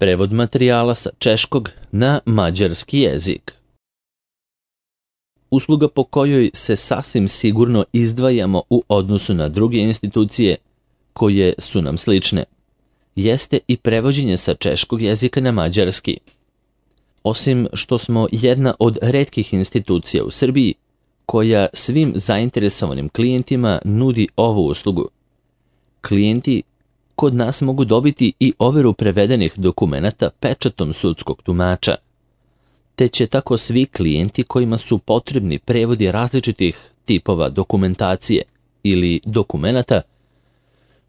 Prevod materijala sa češkog na mađarski jezik. Usluga po kojoj se sasvim sigurno izdvajamo u odnosu na druge institucije koje su nam slične, jeste i prevođenje sa češkog jezika na mađarski. Osim što smo jedna od retkih institucija u Srbiji koja svim zainteresovanim klijentima nudi ovu uslugu, klijenti kod nas mogu dobiti i overu prevedenih dokumenata pečatom sudskog tumača, te će tako svi klijenti kojima su potrebni prevodi različitih tipova dokumentacije ili dokumenata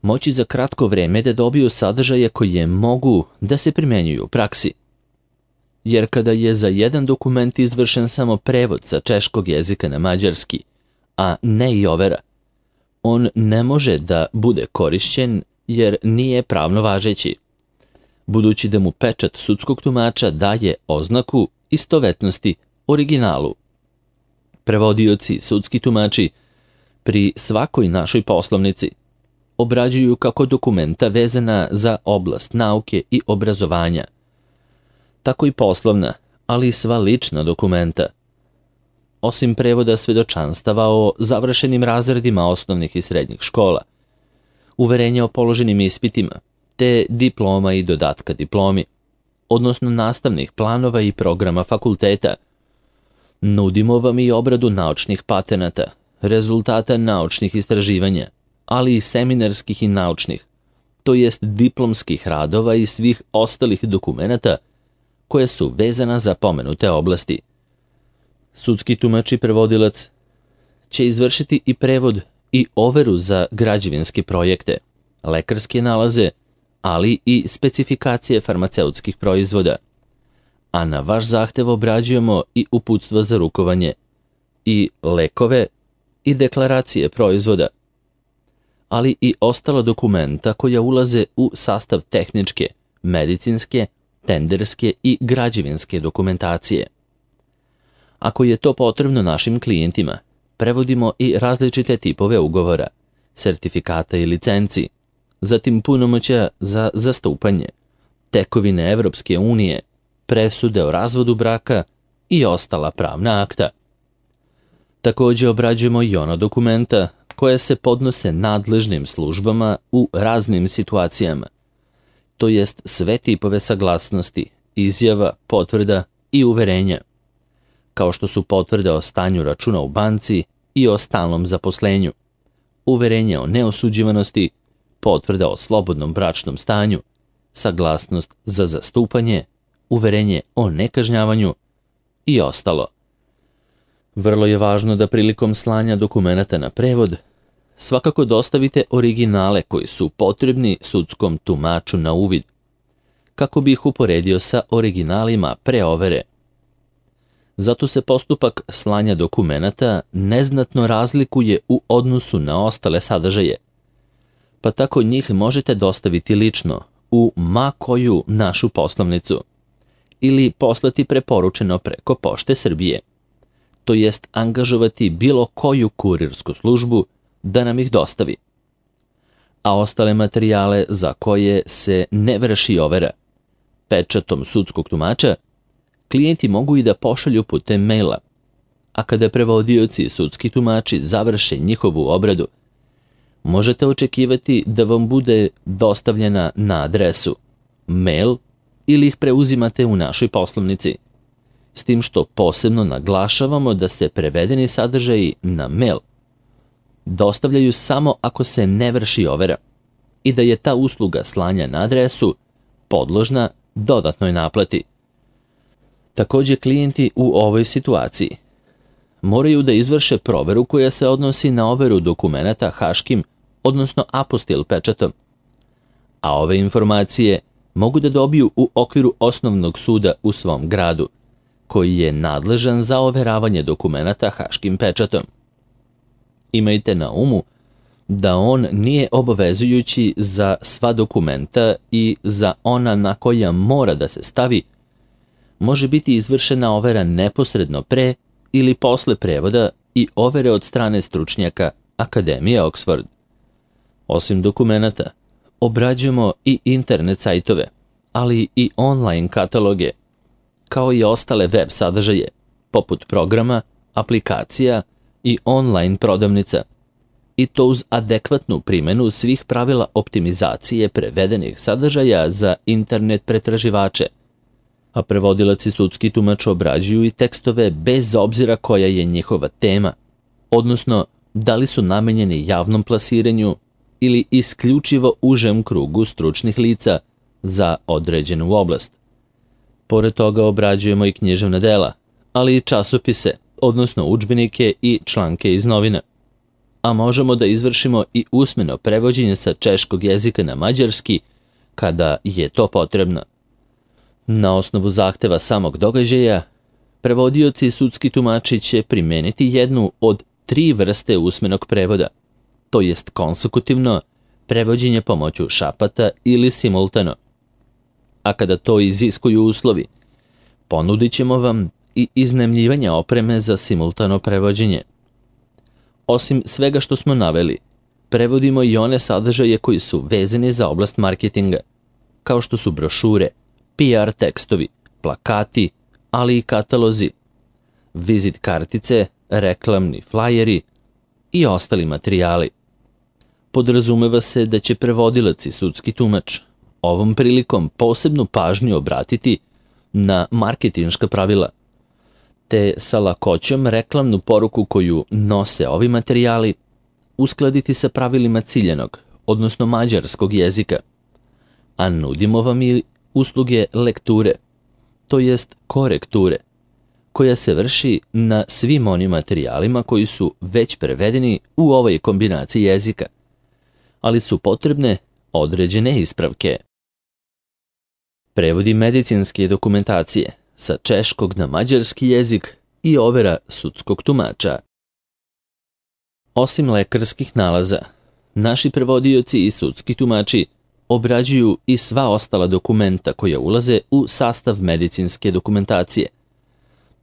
moći za kratko vreme da dobiju sadržaje koje mogu da se primenjuju u praksi. Jer kada je za jedan dokument izvršen samo prevod sa češkog jezika na mađarski, a ne i overa, on ne može da bude korišćen jer nije pravno važeći, budući da mu pečat sudskog tumača daje oznaku istovetnosti originalu. Prevodioci, sudski tumači, pri svakoj našoj poslovnici obrađuju kako dokumenta vezana za oblast nauke i obrazovanja, tako i poslovna, ali i sva lična dokumenta. Osim prevoda svedočanstava o završenim razredima osnovnih i srednjih škola, uverenja o položenim ispitima, te diploma i dodatka diplomi, odnosno nastavnih planova i programa fakulteta, nudimo vam i obradu naučnih patenata, rezultata naučnih istraživanja, ali i seminarskih i naučnih, to jest diplomskih radova i svih ostalih dokumenata koje su vezana za pomenute oblasti. Sudski tumač i prevodilac će izvršiti i prevod i overu za građevinske projekte, lekarske nalaze, ali i specifikacije farmaceutskih proizvoda, a na vaš zahtev obrađujemo i uputstva za rukovanje, i lekove, i deklaracije proizvoda, ali i ostala dokumenta koja ulaze u sastav tehničke, medicinske, tenderske i građevinske dokumentacije. Ako je to potrebno našim klijentima, prevodimo i različite tipove ugovora, sertifikata i licenci, zatim punomoćja za zastupanje, tekovine Evropske unije, presude o razvodu braka i ostala pravna akta. Također obrađujemo i ona dokumenta koja se podnose nadležnim službama u raznim situacijama, to jest sve tipove saglasnosti, izjava, potvrda i uverenja, kao što su potvrde o stanju računa u banci i o stalnom zaposlenju, uverenje o neosuđivanosti, potvrda o slobodnom bračnom stanju, saglasnost za zastupanje, uverenje o nekažnjavanju i ostalo. Vrlo je važno da prilikom slanja dokumenata na prevod svakako dostavite originale koji su potrebni sudskom tumaču na uvid, kako bi ih uporedio sa originalima pre overe. Zato se postupak slanja dokumenata neznatno razlikuje u odnosu na ostale sadržaje, pa tako njih možete dostaviti lično u ma koju našu poslovnicu ili poslati preporučeno preko Pošte Srbije, to jest angažovati bilo koju kurirsku službu da nam ih dostavi. A ostale materijale za koje se ne vrši overa pečatom sudskog tumača, klijenti mogu i da pošalju putem maila, a kada prevodioci i sudski tumači završe njihovu obradu, možete očekivati da vam bude dostavljena na adresu mail ili ih preuzimate u našoj poslovnici, s tim što posebno naglašavamo da se prevedeni sadržaji na mail dostavljaju samo ako se ne vrši overa i da je ta usluga slanja na adresu podložna dodatnoj naplati. Također klijenti u ovoj situaciji moraju da izvrše proveru koja se odnosi na overu dokumenata haškim, odnosno apostil pečatom, a ove informacije mogu da dobiju u okviru osnovnog suda u svom gradu, koji je nadležan za overavanje dokumenata haškim pečatom. Imajte na umu da on nije obavezujući za sva dokumenta i za ona na koja mora da se stavi, može biti izvršena overa neposredno pre ili posle prevoda i overe od strane stručnjaka Akademije Oxford. Osim dokumenata, obrađujemo i internet sajtove, ali i online kataloge, kao i ostale web sadržaje, poput programa, aplikacija i online prodavnica, i to uz adekvatnu primjenu svih pravila optimizacije prevedenih sadržaja za internet pretraživače, a prevodilac i sudski tumač obrađuju i tekstove bez obzira koja je njihova tema, odnosno da li su namenjeni javnom plasiranju ili isključivo užem krugu stručnih lica za određenu oblast. Pored toga obrađujemo i književna dela, ali i časopise, odnosno udžbenike i članke iz novina. A možemo da izvršimo i usmeno prevođenje sa češkog jezika na mađarski kada je to potrebno. Na osnovu zahteva samog događaja, prevodioci i sudski tumači će primeniti jednu od 3 vrste usmenog prevoda, to jest konsekutivno, prevođenje pomoću šapata ili simultano. A kada to iziskuju uslovi, ponudit ćemo vam i iznajmljivanje opreme za simultano prevođenje. Osim svega što smo naveli, prevodimo i one sadržaje koji su vezani za oblast marketinga, kao što su brošure, PR tekstovi, plakati, ali i katalozi, vizit kartice, reklamni flajeri i ostali materijali. Podrazumeva se da će prevodilac i sudski tumač ovom prilikom posebnu pažnju obratiti na marketinška pravila, te sa lakoćom reklamnu poruku koju nose ovi materijali uskladiti sa pravilima ciljanog, odnosno mađarskog jezika, a nudimo vam i usluge lekture, to jest korekture, koja se vrši na svim onim materijalima koji su već prevedeni u ovoj kombinaciji jezika, ali su potrebne određene ispravke. Prevodi medicinske dokumentacije sa češkog na mađarski jezik i overa sudskog tumača. Osim lekarskih nalaza, naši prevodioci i sudski tumači obrađuju i sva ostala dokumenta koja ulaze u sastav medicinske dokumentacije,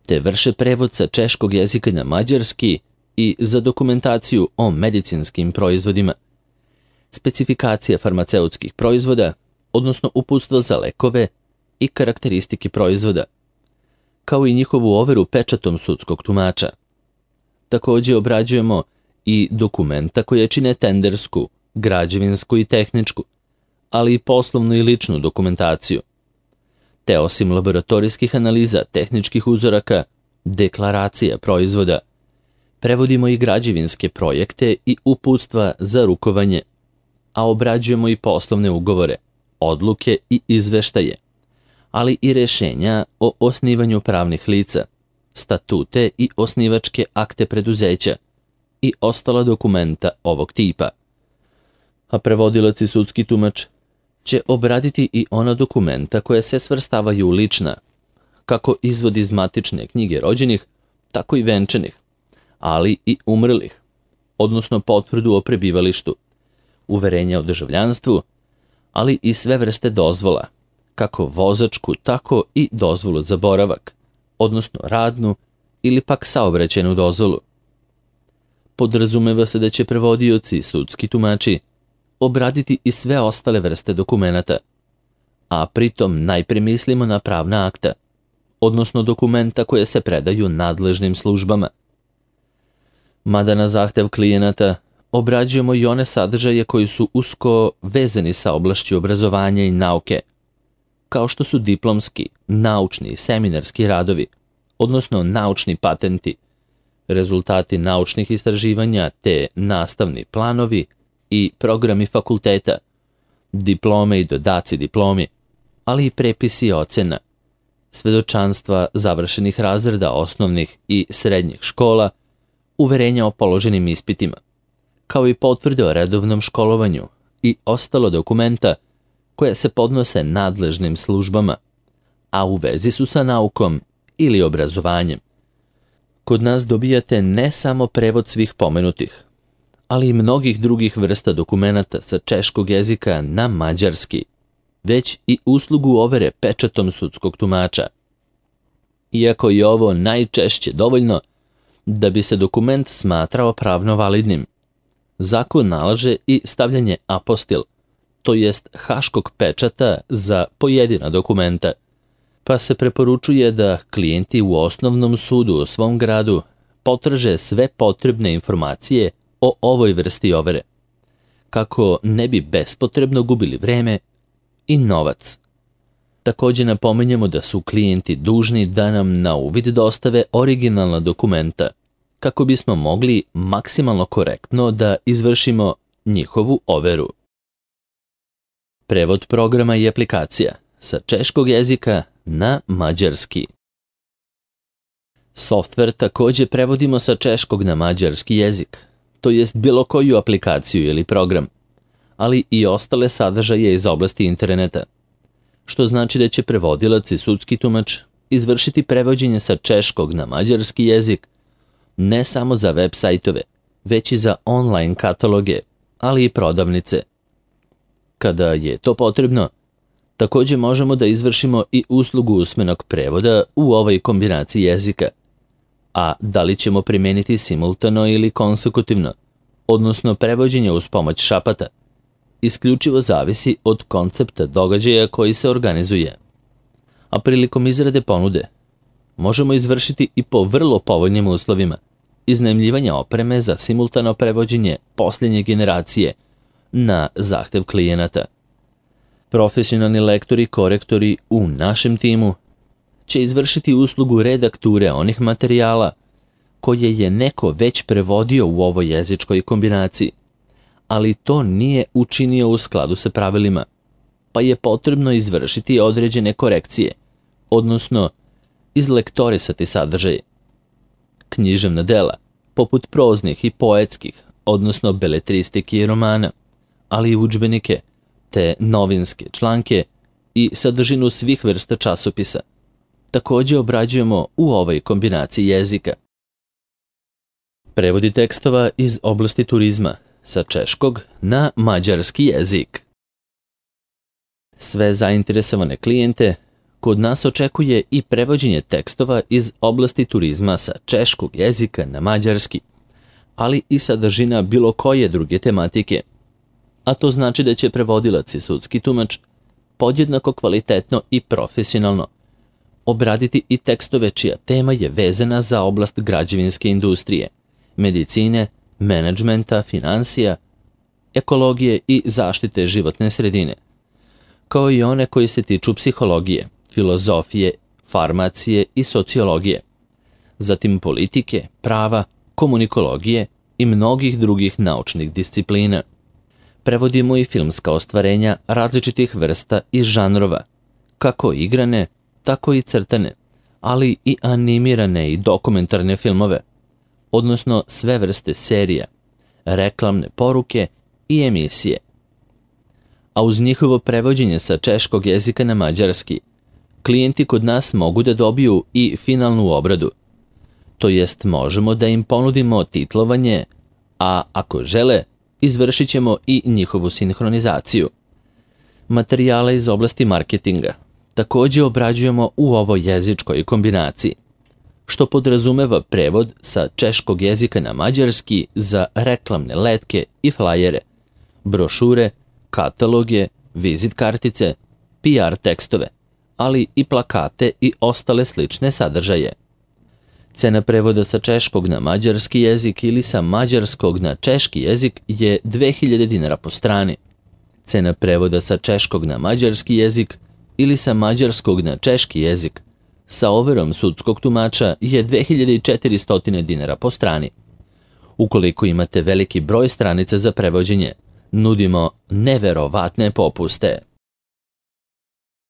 te vrše prevod sa češkog jezika na mađarski i za dokumentaciju o medicinskim proizvodima, specifikacija farmaceutskih proizvoda, odnosno uputstva za lekove i karakteristike proizvoda, kao i njihovu overu pečatom sudskog tumača. Također obrađujemo i dokumenta koje čine tendersku, građevinsku i tehničku, ali i poslovnu i ličnu dokumentaciju. Te osim laboratorijskih analiza tehničkih uzoraka, deklaracija proizvoda, prevodimo i građevinske projekte i uputstva za rukovanje, a obrađujemo i poslovne ugovore, odluke i izveštaje, ali i rješenja o osnivanju pravnih lica, statute i osnivačke akte preduzeća i ostala dokumenta ovog tipa. A prevodilac i sudski tumač će obraditi i ona dokumenta koja se svrstavaju u lična, kako izvod iz matične knjige rođenih, tako i venčanih, ali i umrlih, odnosno potvrdu o prebivalištu, uverenja o državljanstvu, ali i sve vrste dozvola, kako vozačku, tako i dozvolu za boravak, odnosno radnu ili pak saobraćajnu dozvolu. Podrazumeva se da će prevodioci i sudski tumači obraditi i sve ostale vrste dokumenata, a pritom najprije mislimo na pravna akta, odnosno dokumenta koje se predaju nadležnim službama. Mada na zahtev klijenata obrađujemo i one sadržaje koji su usko vezani sa oblašću obrazovanja i nauke, kao što su diplomski, naučni i seminarski radovi, odnosno naučni patenti, rezultati naučnih istraživanja te nastavni planovi i programi fakulteta, diplome i dodaci diplomi, ali i prepisi ocena, svedočanstva završenih razreda osnovnih i srednjih škola, uverenja o položenim ispitima, kao i potvrde o redovnom školovanju i ostalo dokumenta koje se podnose nadležnim službama, a u vezi su sa naukom ili obrazovanjem. Kod nas dobijate ne samo prevod svih pomenutih, ali i mnogih drugih vrsta dokumenata sa češkog jezika na mađarski, već i uslugu overe pečatom sudskog tumača. Iako je ovo najčešće dovoljno da bi se dokument smatrao pravno validnim, zakon nalaže i stavljanje apostil, to jest haškog pečata za pojedina dokumenta, pa se preporučuje da klijenti u osnovnom sudu u svom gradu potraže sve potrebne informacije o ovoj vrsti overe, kako ne bi bespotrebno gubili vreme i novac. Također napominjemo da su klijenti dužni da nam na uvid dostave originalna dokumenta, kako bismo mogli maksimalno korektno da izvršimo njihovu overu. Prevod programa i aplikacija sa češkog jezika na mađarski. Softver također prevodimo sa češkog na mađarski jezik, to jest bilo koju aplikaciju ili program, ali i ostale sadržaje iz oblasti interneta, što znači da će prevodilac i sudski tumač izvršiti prevođenje sa češkog na mađarski jezik ne samo za web sajtove, već i za online kataloge, ali i prodavnice. Kada je to potrebno, također možemo da izvršimo i uslugu usmenog prevoda u ovoj kombinaciji jezika. A da li ćemo primijeniti simultano ili konsekutivno, odnosno prevođenje uz pomoć šapata, isključivo zavisi od koncepta događaja koji se organizuje. A prilikom izrade ponude možemo izvršiti i po vrlo povoljnim uslovima iznajmljivanja opreme za simultano prevođenje posljednje generacije na zahtev klijenata. Profesionalni lektori i korektori u našem timu će izvršiti uslugu redakture onih materijala koje je neko već prevodio u ovoj jezičkoj kombinaciji, ali to nije učinio u skladu sa pravilima, pa je potrebno izvršiti određene korekcije, odnosno izlektorisati sadržaj. Književna dela, poput proznih i poetskih, odnosno beletristike i romana, ali i udžbenike, te novinske članke i sadržinu svih vrsta časopisa, također obrađujemo u ovoj kombinaciji jezika. Prevodi tekstova iz oblasti turizma sa češkog na mađarski jezik. Sve zainteresovane klijente kod nas očekuje i prevođenje tekstova iz oblasti turizma sa češkog jezika na mađarski, ali i sadržina bilo koje druge tematike. A to znači da će prevodilac i sudski tumač podjednako kvalitetno i profesionalno obraditi i tekstove čija tema je vezana za oblast građevinske industrije, medicine, menadžmenta, financija, ekologije i zaštite životne sredine, kao i one koji se tiču psihologije, filozofije, farmacije i sociologije, zatim politike, prava, komunikologije i mnogih drugih naučnih disciplina. Prevodimo i filmska ostvarenja različitih vrsta i žanrova, kako igrane, tako i crtane, ali i animirane i dokumentarne filmove, odnosno sve vrste serija, reklamne poruke i emisije. A uz njihovo prevođenje sa češkog jezika na mađarski, klijenti kod nas mogu da dobiju i finalnu obradu, to jest možemo da im ponudimo titlovanje, a ako žele, izvršit ćemo i njihovu sinhronizaciju. Materijale iz oblasti marketinga također obrađujemo u ovoj jezičkoj kombinaciji, što podrazumeva prevod sa češkog jezika na mađarski za reklamne letke i flajere, brošure, kataloge, vizit kartice, PR tekstove, ali i plakate i ostale slične sadržaje. Cena prevoda sa češkog na mađarski jezik ili sa mađarskog na češki jezik je 2000 dinara po strani. Cena prevoda sa češkog na mađarski jezik ili sa mađarskog na češki jezik sa overom sudskog tumača je 2400 dinara po strani. Ukoliko imate veliki broj stranica za prevođenje, nudimo neverovatne popuste.